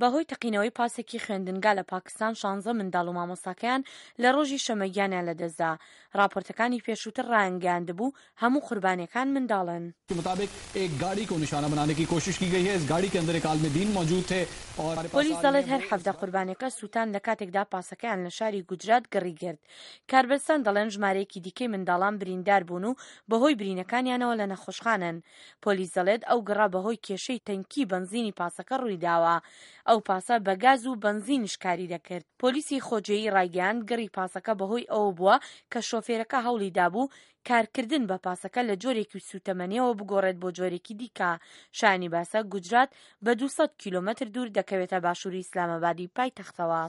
بەهۆی تەقینەوەی پاسێکی خوێندنگا لە پاکستان شانزە منداڵ و مامۆستاکەیان لە ڕۆژی شەمە گیانیان لەدەستدا. ڕاپۆرتەکانی پێشووتر ڕایانگەیاندبوو هەموو قوربانیەکان منداڵن. پۆلیس دەڵێت هەر 17 قوربانیەکە سووتان لە کاتێکدا پاسەکەیان لە شاری گوجرات گڕی گرت. کاربەدەستان دەڵێن ژمارەیەکی دیکەی منداڵان بریندار بوون و بەهۆی برینەکانیانەوە لە نەخۆشخانەن. پۆلیس دەڵێت ئەو گڕە بەهۆی کێشەی تەنکی بەنزینی پاسەکە ڕوویداوە. ئەو پاسە بە گاز و بەنزینیش کاری دەکرد. پۆلیسی خۆجێیی ڕایگەیاند گڕی پاسەکە بەهۆی ئەوە بووە کە شۆفێرەکە هەوڵی دابوو کارکردن بە پاسەکە لە جۆرێکی سووتەمەنییەوە بگۆڕێت بۆ جۆرێکی دیکە. شایانی باسە گوجرات بە 200 کیلۆمەتر دوور دەکەوێتە باشووری ئیسلامئابادی پایتەختەوە.